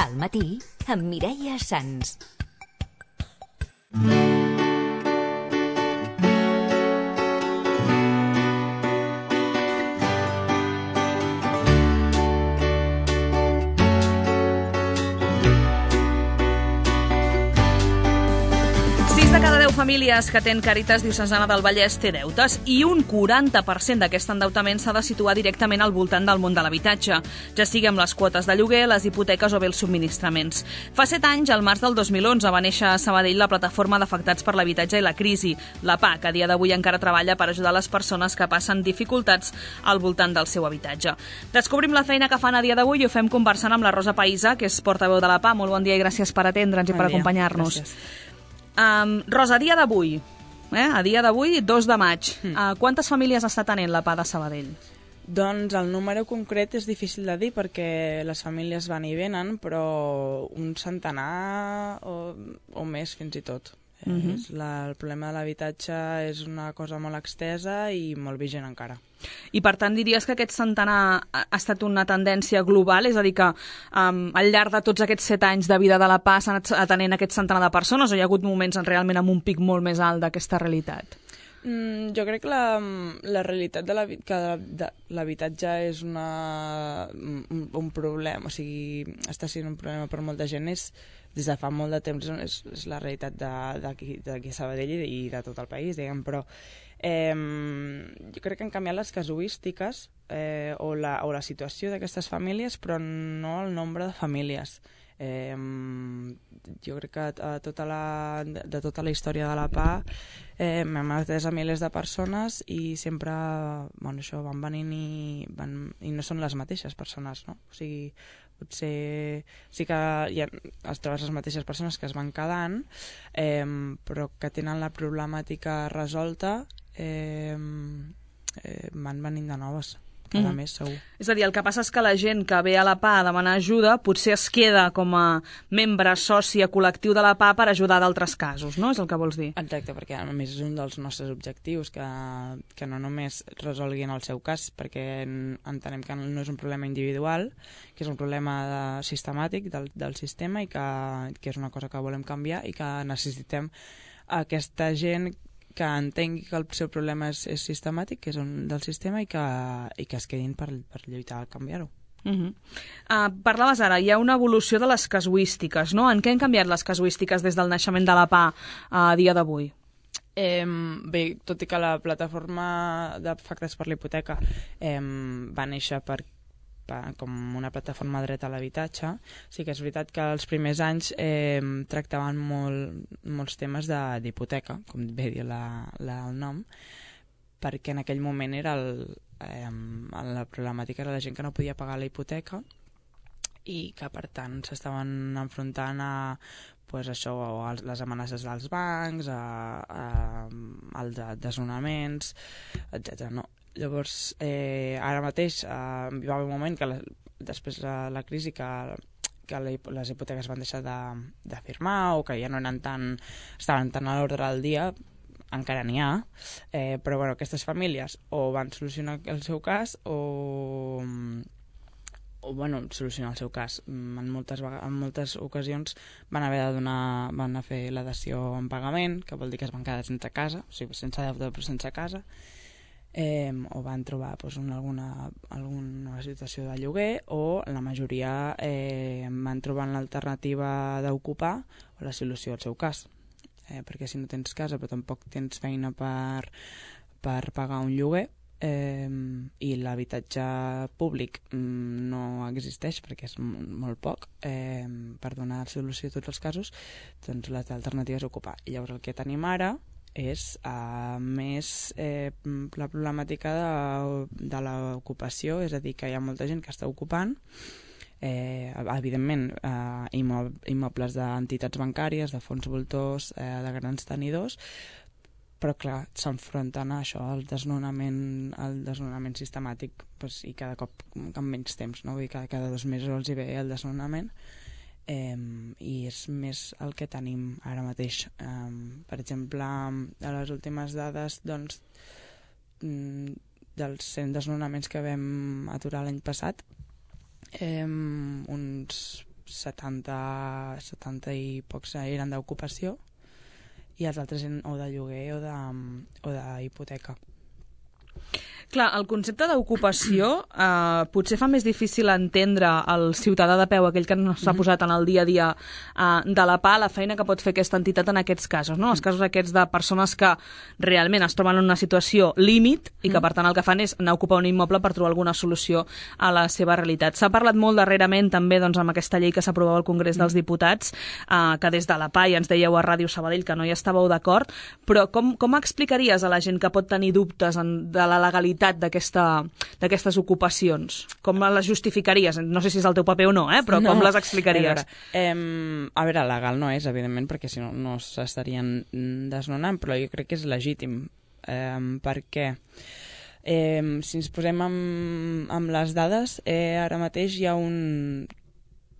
Al matí, amb Mireia Sans. Famílies que tenen Càritas Diocesana del Vallès té deutes i un 40% d'aquest endeutament s'ha de situar directament al voltant del món de l'habitatge, ja sigui amb les quotes de lloguer, les hipoteques o bé els subministraments. Fa 7 anys, al març del 2011, va néixer a Sabadell la Plataforma d'Afectats per l'Habitatge i la Crisi, la PA, que a dia d'avui encara treballa per ajudar les persones que passen dificultats al voltant del seu habitatge. Descobrim la feina que fan a dia d'avui i ho fem conversant amb la Rosa Païsa, que és portaveu de la PA. Molt bon dia i gràcies per atendre'ns i per acompanyar-nos. Gràcies. Rosa, a dia d'avui, 2 de maig, quantes famílies està tenint la PA de Sabadell? Doncs el número concret és difícil de dir perquè les famílies van i venen, però un centenar o més fins i tot. El problema de l'habitatge és una cosa molt extesa i molt vigent encara. I per tant diries que aquest centenar ha estat una tendència global? És a dir, que al llarg de tots aquests 7 anys de vida de la PA s'han anat atenent aquest centenar de persones o hi ha hagut moments realment amb un pic molt més alt d'aquesta realitat? Jo crec que la realitat de l'habitatge és un problema, o sigui, està sent un problema per molta gent, des de fa molt de temps és la realitat d'aquí a Sabadell i de tot el país, diguem, però jo crec que han canviat les casuístiques o la situació d'aquestes famílies, però no el nombre de famílies. Jo crec que de tota la història de la PA hem atès a milers de persones i sempre això van venint i no són les mateixes persones, no? O sigui, potser sí que es trobes les mateixes persones que es van quedant, però que tenen la problemàtica resolta, van venint de noves cada mes, segur. És a dir, el que passa és que la gent que ve a la PA a demanar ajuda potser es queda com a membre, soci, col·lectiu de la PA per ajudar d'altres casos, no? És el que vols dir? Exacte, perquè a més és un dels nostres objectius, que no només resolguin el seu cas, perquè entenem que no és un problema individual, que és un problema sistemàtic del sistema i que és una cosa que volem canviar i que necessitem aquesta gent que entengui que el seu problema és sistemàtic, que és del sistema i que es quedin per lluitar a canviar-ho. Parlaves ara, hi ha una evolució de les casuístiques, no? En què han canviat les casuístiques des del naixement de la PA a dia d'avui? Bé, tot i que la plataforma d'afectats per la hipoteca va néixer com una plataforma de dret a l'habitatge, sí que és veritat que els primers anys tractaven molts temes d'hipoteca, com bé dir el nom, perquè en aquell moment era la problemàtica era la gent que no podia pagar la hipoteca i que per tant s'estaven enfrontant a les amenaces dels bancs, als desnonaments, etc. No. Llavors, ara mateix hi va haver un moment que després de la crisi que les hipoteques van deixar de firmar o que ja no estaven tan a l'ordre del dia, encara n'hi ha, però aquestes famílies o van solucionar el seu cas solucionar el seu cas. En moltes ocasions van haver van fer la dació en pagament, que vol dir que es van quedar sense casa, o sigui, sense deute però sense casa, o van trobar alguna situació de lloguer o la majoria van trobar l'alternativa d'ocupar o la solució al seu cas, perquè si no tens casa però tampoc tens feina per pagar un lloguer i l'habitatge públic no existeix perquè és molt poc per donar solució a tots els casos, doncs l'alternativa és ocupar. I llavors el que tenim ara és més la problemàtica de l'ocupació, és a dir, que hi ha molta gent que està ocupant, evidentment immobles d'entitats bancàries, de fons voltors, de grans tenidors, però clar, s'enfronten a això, al desnonament sistemàtic, i cada cop amb menys temps, no? Vull dir que cada 2 mesos els hi ve el desnonament, i és més el que tenim ara mateix. Per exemple, a les últimes dades dels 100 desnonaments que vam aturar l'any passat, uns 70 i pocs eren d'ocupació i els altres eren o de lloguer o d'hipoteca. Clar, el concepte d'ocupació potser fa més difícil entendre el ciutadà de peu, aquell que no s'ha posat en el dia a dia de la PA, la feina que pot fer aquesta entitat en aquests casos, no? Els casos aquests de persones que realment es troben en una situació límit i que per tant el que fan és anar a ocupar un immoble per trobar alguna solució a la seva realitat. S'ha parlat molt darrerament també doncs, amb aquesta llei que s'aprovava al Congrés dels Diputats, que des de la PA ja ens dèieu a Ràdio Sabadell que no hi estàveu d'acord, però com explicaries a la gent que pot tenir dubtes de la legalitat d'aquestes ocupacions? Com les justificaries? No sé si és el teu paper o no, però com les explicaries? A veure, legal no és, evidentment, perquè si no, no s'estarien desnonant, però jo crec que és legítim, perquè si ens posem amb les dades, ara mateix hi ha un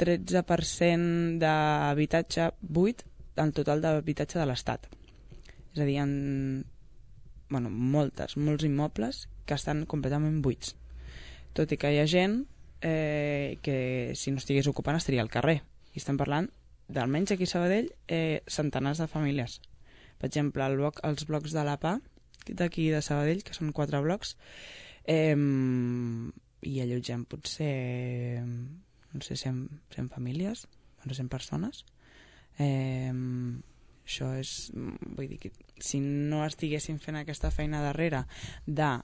13% d'habitatge buit en total d'habitatge de l'Estat. És a dir, molts immobles que estan completament buits. Tot i que hi ha gent que si no estigués ocupant estaria al carrer. I estem parlant, d'almenys aquí a Sabadell, centenars de famílies. Per exemple, els blocs de la PA, d'aquí de Sabadell, que són 4 blocs, i allotgem potser, no sé, 100 famílies, 100 persones. Això és, vull dir que si no estiguéssim fent aquesta feina darrere de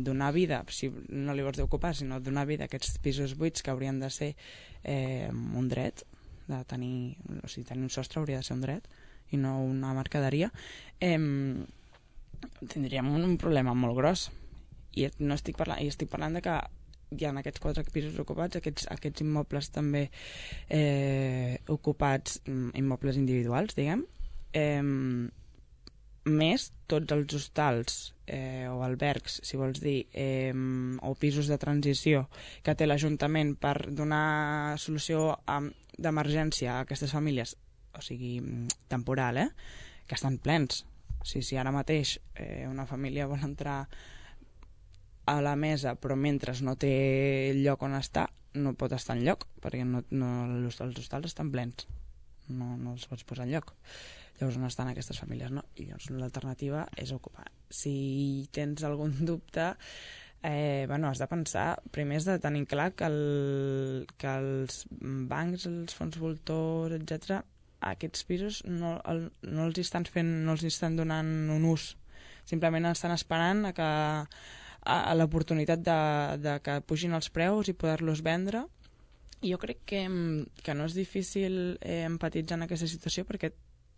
donar vida, si no li vols d'ocupar, sinó donar vida a aquests pisos buits que haurien de ser un dret, de tenir, o sigui, tenir un sostre hauria de ser un dret i no una mercaderia, tindríem un problema molt gros. I estic parlant de que hi ha aquests 4 pisos ocupats, aquests immobles també ocupats, immobles individuals, diguem, més tots els hostals o albergs, si vols dir, o pisos de transició que té l'Ajuntament per donar solució d'emergència a aquestes famílies, o sigui, temporal, que estan plens. Si ara mateix una família vol entrar a la mesa, però mentre no té lloc on estar, no pot estar enlloc, perquè els hostals estan plens. No els pots posar enlloc. Llavors, on estan aquestes famílies, no? I llavors l'alternativa és ocupar. Si tens algun dubte, has de pensar, primer has de tenir clar que els bancs, els fons voltors, etc., aquests pisos no els estan donant un ús. Simplement estan esperant a l'oportunitat de que pugin els preus i poder-los vendre. I jo crec que no és difícil empatitzar en aquesta situació perquè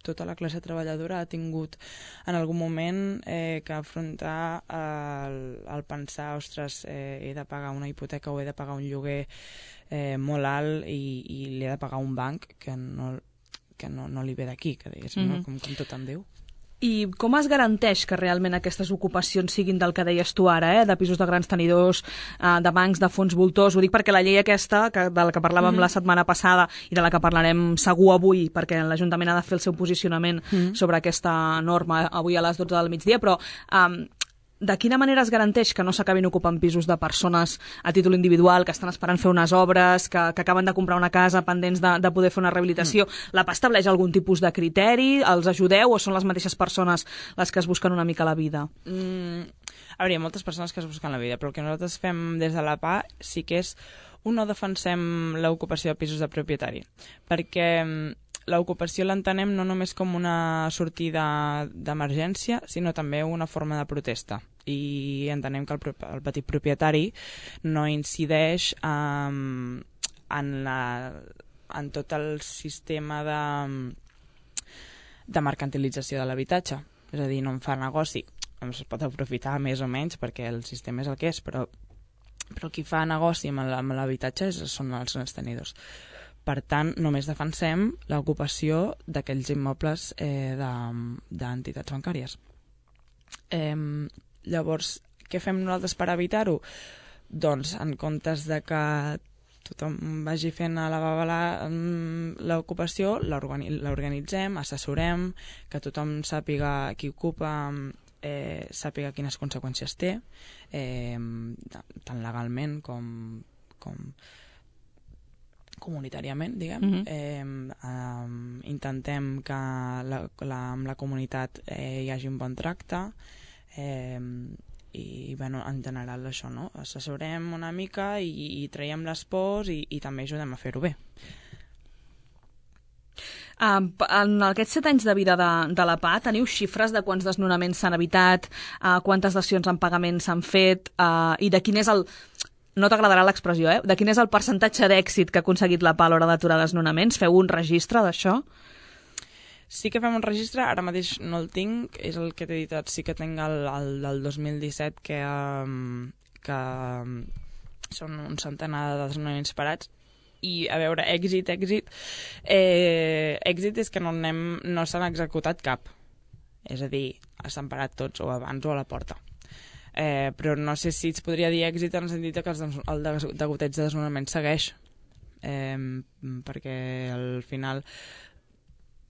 tota la classe treballadora ha tingut en algun moment que afrontar el pensar, ostres, he de pagar una hipoteca o he de pagar un lloguer molt alt i li he de pagar un banc que no li ve d'aquí, que diguéssim, no? Com tot em diu. I com es garanteix que realment aquestes ocupacions siguin del que deies tu ara, de pisos de grans tenidors, de bancs, de fons voltors? Ho dic perquè la llei aquesta, de la que parlàvem la setmana passada i de la que parlarem segur avui, perquè l'Ajuntament ha de fer el seu posicionament sobre aquesta norma avui a les 12 del migdia, però de quina manera es garanteix que no s'acabin ocupant pisos de persones a títol individual, que estan esperant fer unes obres, que acaben de comprar una casa pendents de poder fer una rehabilitació? La PA estableix algun tipus de criteri? Els ajudeu o són les mateixes persones les que es busquen una mica la vida? A veure, hi ha moltes persones que es busquen la vida, però el que nosaltres fem des de la PA sí que és, no defensem l'ocupació de pisos de propietari, perquè l'ocupació l'entenem no només com una sortida d'emergència, sinó també una forma de protesta. I entenem que el petit propietari no incideix en tot el sistema de mercantilització de l'habitatge. És a dir, no en fa negoci. Es pot aprofitar més o menys perquè el sistema és el que és, però qui fa negoci amb l'habitatge són els tenidors. Per tant, només defensem l'ocupació d'aquells immobles d'entitats bancàries. Llavors, què fem nosaltres per evitar-ho? Doncs, en comptes de que tothom vagi fent a la babala l'ocupació, l'organitzem, assessorem, que tothom sàpiga qui ocupa, sàpiga quines conseqüències té, tant legalment com comunitàriament, diguem. Intentem que amb la comunitat hi hagi un bon tracte, i bueno, en general això, no? Assessorem una mica i traiem les pors i també ajudem a fer-ho bé. En aquests 7 anys de vida de la PA teniu xifres de quants desnonaments s'han evitat, quantes dacions en pagament s'han fet, i de quin és el... No t'agradarà l'expressió, de quin és el percentatge d'èxit que ha aconseguit la PA a l'hora d'aturar desnonaments? Feu un registre d'això? Sí que fem un registre, ara mateix no el tinc, és el que t'he dit, sí que tinc el del 2017, que són un centenar de desnonaments parats. I, a veure, èxit és que no s'han executat cap. És a dir, s'han parat tots, o abans o a la porta. Però no sé si es podria dir èxit en el sentit que el degoteig de desnonament segueix. Perquè al final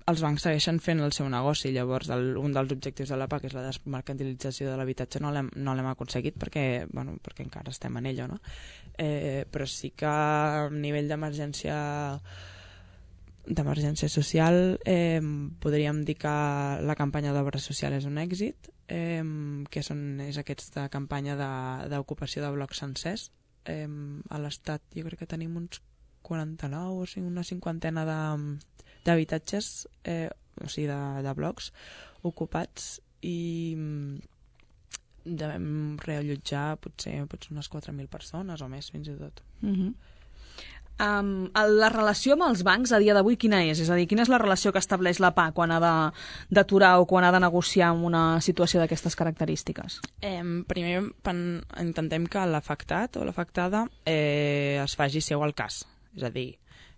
els bancs segueixen fent el seu negoci. Llavors, un dels objectius de la PA, que és la desmercantilització de l'habitatge, no l'hem aconseguit perquè encara estem en ella, no? Però sí que a nivell d'emergència social podríem dir que la campanya d'obra social és un èxit, que és aquesta campanya d'ocupació de blocs sencers. A l'Estat jo crec que tenim uns 49 o sigui, una cinquantena d'habitatges, o sigui, de blocs ocupats, i devem reallotjar potser unes 4.000 persones o més, fins i tot. La relació amb els bancs a dia d'avui quina és? És a dir, quina és la relació que estableix la PA quan ha d'aturar o quan ha de negociar amb una situació d'aquestes característiques? Primer intentem que l'afectat o l'afectada es faci seu al cas. És a dir,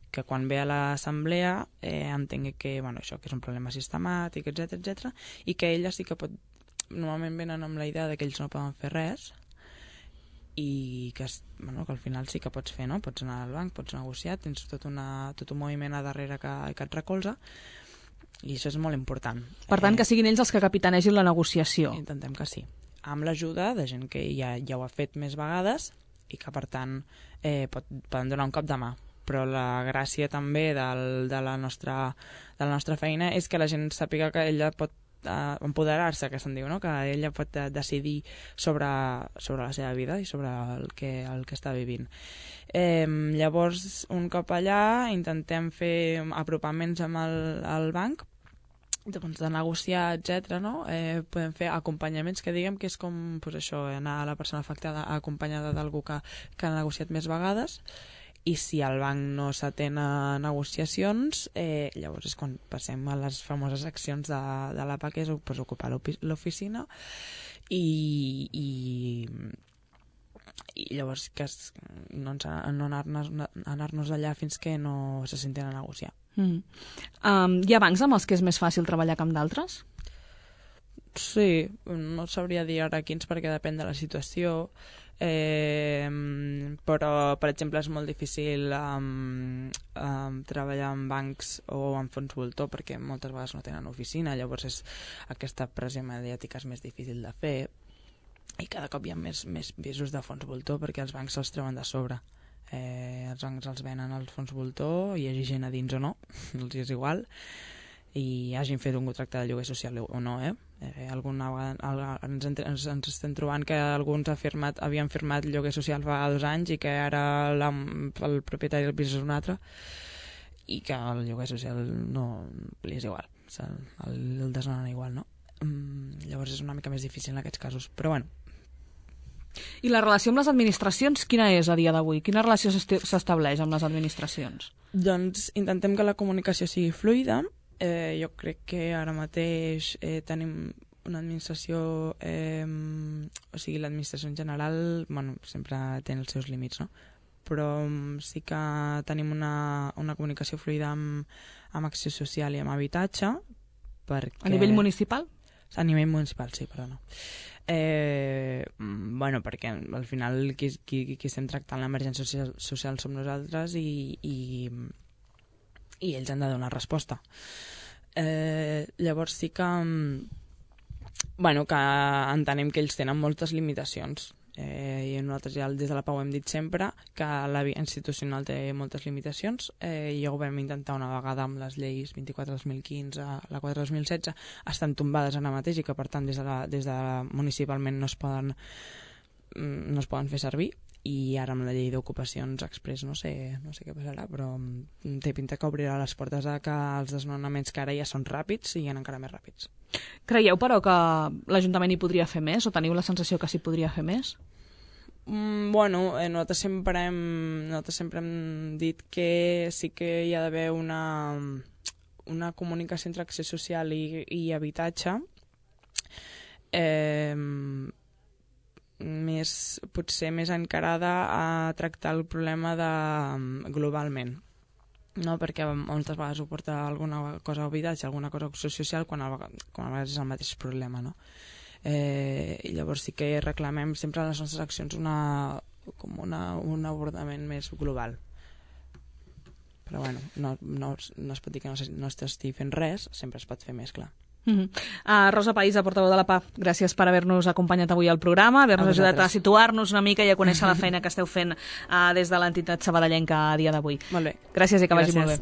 que quan ve a l'assemblea entengui que, això, que és un problema sistemàtic, etc, i que ella sí que pot... Normalment venen amb la idea que ells no poden fer res, i que al final sí que pots fer, no? Pots anar al banc, pots negociar, tens tot un moviment a darrere que et recolza, i això és molt important. Per tant, que siguin ells els que capitanegin la negociació. Intentem que sí, amb l'ajuda de gent que ja ho ha fet més vegades i que per tant poden donar un cop de mà. Però la gràcia també de la nostra feina és que la gent sàpiga que ella pot empoderar-se, que se'n diu, no? Que ella pot decidir sobre la seva vida i sobre el que està vivint. Llavors, un cop allà, intentem fer apropaments amb el banc, de negociar, etc. No? Podem fer acompanyaments, que diguem que és com anar a la persona afectada acompanyada d'algú que ha negociat més vegades. I si el banc no s'atén a negociacions, llavors és quan passem a les famoses accions de la PA, que és ocupar l'oficina, i llavors no anar-nos allà fins que no se sentin a negociar. Hi ha bancs amb els que és més fàcil treballar que amb d'altres? Sí, no sabria dir ara quins perquè depèn de la situació, però per exemple és molt difícil treballar en bancs o en fons voltor perquè moltes vegades no tenen oficina, llavors aquesta pressió mediàtica és més difícil de fer, i cada cop hi ha més pisos de fons voltor perquè els bancs se'ls treuen de sobre. Els bancs els venen als fons voltor, hi hagi gent a dins o no, els és igual, i hagin fet un contracte de lloguer social o no, alguna vegada ens estem trobant que alguns havien firmat lloguer social fa 2 anys i que ara el propietari del pis és un altre, i que el lloguer social no li és igual, el desnonen igual, no? Llavors és una mica més difícil en aquests casos, però bueno. I la relació amb les administracions quina és a dia d'avui? Quina relació s'estableix amb les administracions? Doncs intentem que la comunicació sigui fluida. Jo crec que ara mateix tenim una administració, o sigui, l'administració en general, sempre té els seus límits, no? Però sí que tenim una comunicació fluida amb acció social i amb habitatge. A nivell municipal? A nivell municipal, sí, perdona. Perquè al final qui estem tractant l'emergència social som nosaltres, i ells han de donar resposta. Llavors sí que que entenem que ells tenen moltes limitacions I nosaltres ja des de la PAU hem dit sempre que la via institucional té moltes limitacions i ja ho vam intentar una vegada amb les lleis 24-2015, la 4-2016 estan tombades ara mateix i que per tant des de municipalment no es poden fer servir, i ara amb la llei d'ocupacions express no sé què passarà, però té pinta que obrirà les portes a que els desnonaments que ara ja són ràpids siguin encara més ràpids. Creieu, però, que l'Ajuntament hi podria fer més, o teniu la sensació que s'hi podria fer més? Bueno, nosaltres sempre hem dit que sí que hi ha d'haver una comunicació entre accés social i habitatge potser més encarada a tractar el problema globalment, no? Perquè moltes vegades ho porta alguna cosa a habitatge, alguna cosa a acció social, quan a vegades és el mateix problema, no? I llavors sí que reclamem sempre a les nostres accions un abordament més global. Però bueno, no es pot dir que no s'estigui fent res, sempre es pot fer més, clar. Rosa Pahissa, portaveu de la PA, gràcies per haver-nos acompanyat avui al programa, haver-nos ajudat a situar-nos una mica i a conèixer la feina que esteu fent des de l'entitat sabadellenca a dia d'avui. Molt bé. Gràcies i que vagi molt bé.